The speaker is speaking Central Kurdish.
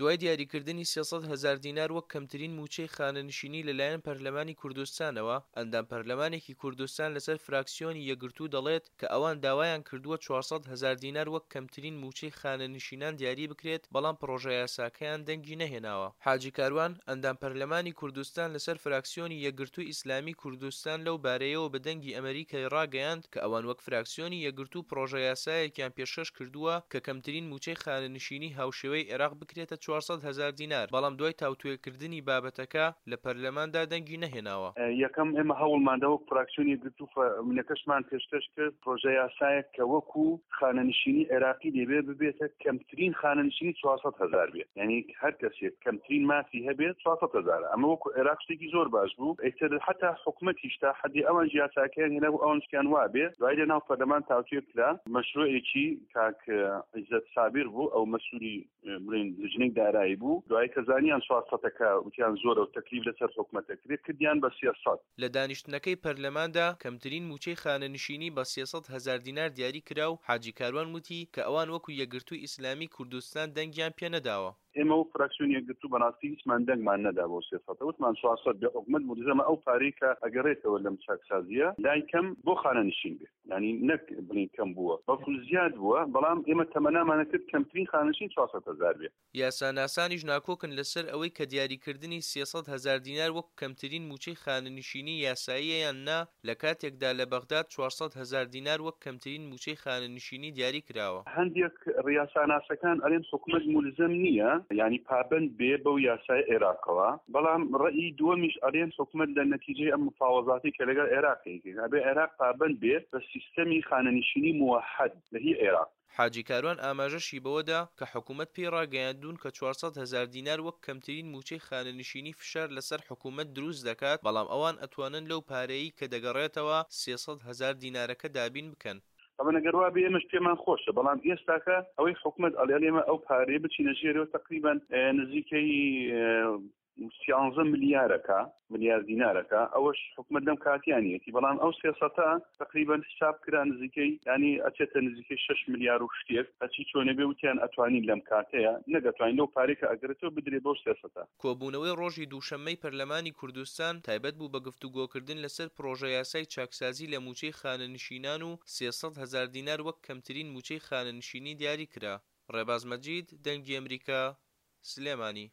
دوای دیاریکردنی 300 هەزار دینار وەک کەمترین مووچەی خانەنشینی لەلایەن پەرلەمانی کوردستانەوە، ئەندام پەرلەمانێکی کوردستان لەسەر فراکسیۆنی یەکگرتوو دەڵێت کە ئەوان داوایان کردووە 400 هەزار دینار وەک کەمترین مووچەی خانەنشینان دیاری بکرێت، بەڵام پڕۆژەیاساکەیان دەنگی نەهێناوە. حاجی کاروان، ئەندام پەرلەمانی کوردستان لەسەر فراکسیۆنی یەکگرتووی ئیسلامی کوردستان لەو بارەیەوە بە دەنگی ئەمەریکای ڕاگەیاند کە ئەوان وەک فراکسیۆنی یەکگرتوو پڕۆژەیاسایەکیان پێشکەش کردووە کە کەمترین مووچەی خانەنشینی هاوشێوەی عێراق بکرێتە 400 هەزار دینار، بەڵام دوای تاوتوێکردنی بابەتەکە لە پەرلەماندا دەنگی نەهێناوە. یەکەم، ئێمە هەوڵماندا وەک فراکسیۆنی یەکگرتوو فەرموونەکەشمان پێشکەش کرد، پڕۆژەیاسایەک کە وەکو خانەنشینی عێراقی لێبێ ببێتە کەمترین خانەنشینی 400 هەزار بێت، یانی هەر کەسێک کەمترین مافی هەبێت 400 هەزارە، ئەمە وەکو عێراق شتێکی زۆر باش بوو، ئیتر حەتا حکومەتیش تا حەدی ئەوانیش یاساکەیان هێنابوو ئەوانیش پێیان وابێ، دوایی لەناو پەرلەمان تاوتوێ کرا، مەشروعێکی کاک عیزەت سابیر بوو ئەو مەسولی بڵێن لجنەی دارایی بوو، دوایی کە زانیان چوار سەتەکە وتیان زۆرە و تەکلیف لەسەر حکومەت ئەکرێ کردیان بە 300. لە دانیشتنەکەی پەرلەماندا کەمترین مووچەی خانەنشینی بە 300 هەزار دینار دیاری کرا و حاجی کاروان وتی کە ئەوان وەکو یەکگرتووی ئیسلامی کوردستان دەنگیان پێ نەداوە. ئێمە وەک فراکسیۆنی یەکگرتوو بەڕاستی هیچمان دەنگمان نەدا بۆ سێ سەتە، وتمان 400 بێ حکومەت مولزەمە ئەو پارەی کە ئەگەڕێتەوە لەم چاکسازییە لای کەم بۆ خانەنشین بێ. یانی نەک بڵێین کەم بووە بەڵکو زیاد بووە، بەڵام ئێمە تەمەنامان ئەکرد کەمترین خانەنشین 400 هەزار بێ. یاساناسانیش ناکۆکن لەسەر ئەوەی کە دیاریکردنی 300 هەزار دینار وەک کەمترین مووچەی خانەنشینی یاساییە یان نا، لە کاتێکدا لە بەغداد 400 هەزار دینار وەک کەمترین مووچەی خانەنشینی دیاری کراوە. هەندێک ڕیاساناسەکان ئەلێن حکومەت مولزەم نییە یانی پابەند بێ بەو یاسای عێراقەوە، بەڵام ڕەئی دووەمیش ئەلێن حکومەت لە نەتیجەی ئەم مفاوەزاتەی کە لەگەڵ عێراق ئەیکەین ئەبێ عێراق پابەند بێ بە سیستەمی خانەنشینی موەحەد لە هی عێراق. حاجی کاروان ئاماژەشی بەوەدا کە حکومەت پێی ڕاگەیاندوون کە 400 هەزار دینار وەک کەمترین مووچەی خانەنشینی فشار لەسەر حکومەت دروست دەکات، بەڵام ئەوان ئەتوانن لەو پارەیەی کە دەگەڕێتەوە 300 هەزار دینارەکە دابین بکەن. تەبعەن ئەگەر وابێ ئێمەش پێمان خۆشە، بەڵام ئێستاکە ئەوەی حکومەت ئەڵێ ئێمە ئەو پارەیە بچینە ژێرەوە تەقریبەن نزیکەی سیانزە ملیارەکە ملیار دینارەکە ئەوەش حکومەت لەم کاتیانیەتی، بەڵام ئەو سێ سەتە تەقریبەن حساب کرا نزیکەی یانی ئەچێتە نزیکەی شەش ملیار و شتێک، هەرچی چۆنێ بێ وتیان ئەتوانین لەم کاتەیە نەک ئەتوانین لەو پارەی کە ئەگەرێتەوە بدرێ بەو سێ سەتە. کۆبوونەوەی ڕۆژی دووشەممەی پەرلەمانی کوردستان تایبەت بوو بە گفتوگۆکردن لەسەر پڕۆژەیاسای چاکسازی لە مووچەی خانەنشینان و 300 هەزار دینار وەک کەمترین مووچەی خانەنشینی دیاری کرا. ڕێباز مەجید، دەنگی ئەمریکا، سلێمانی.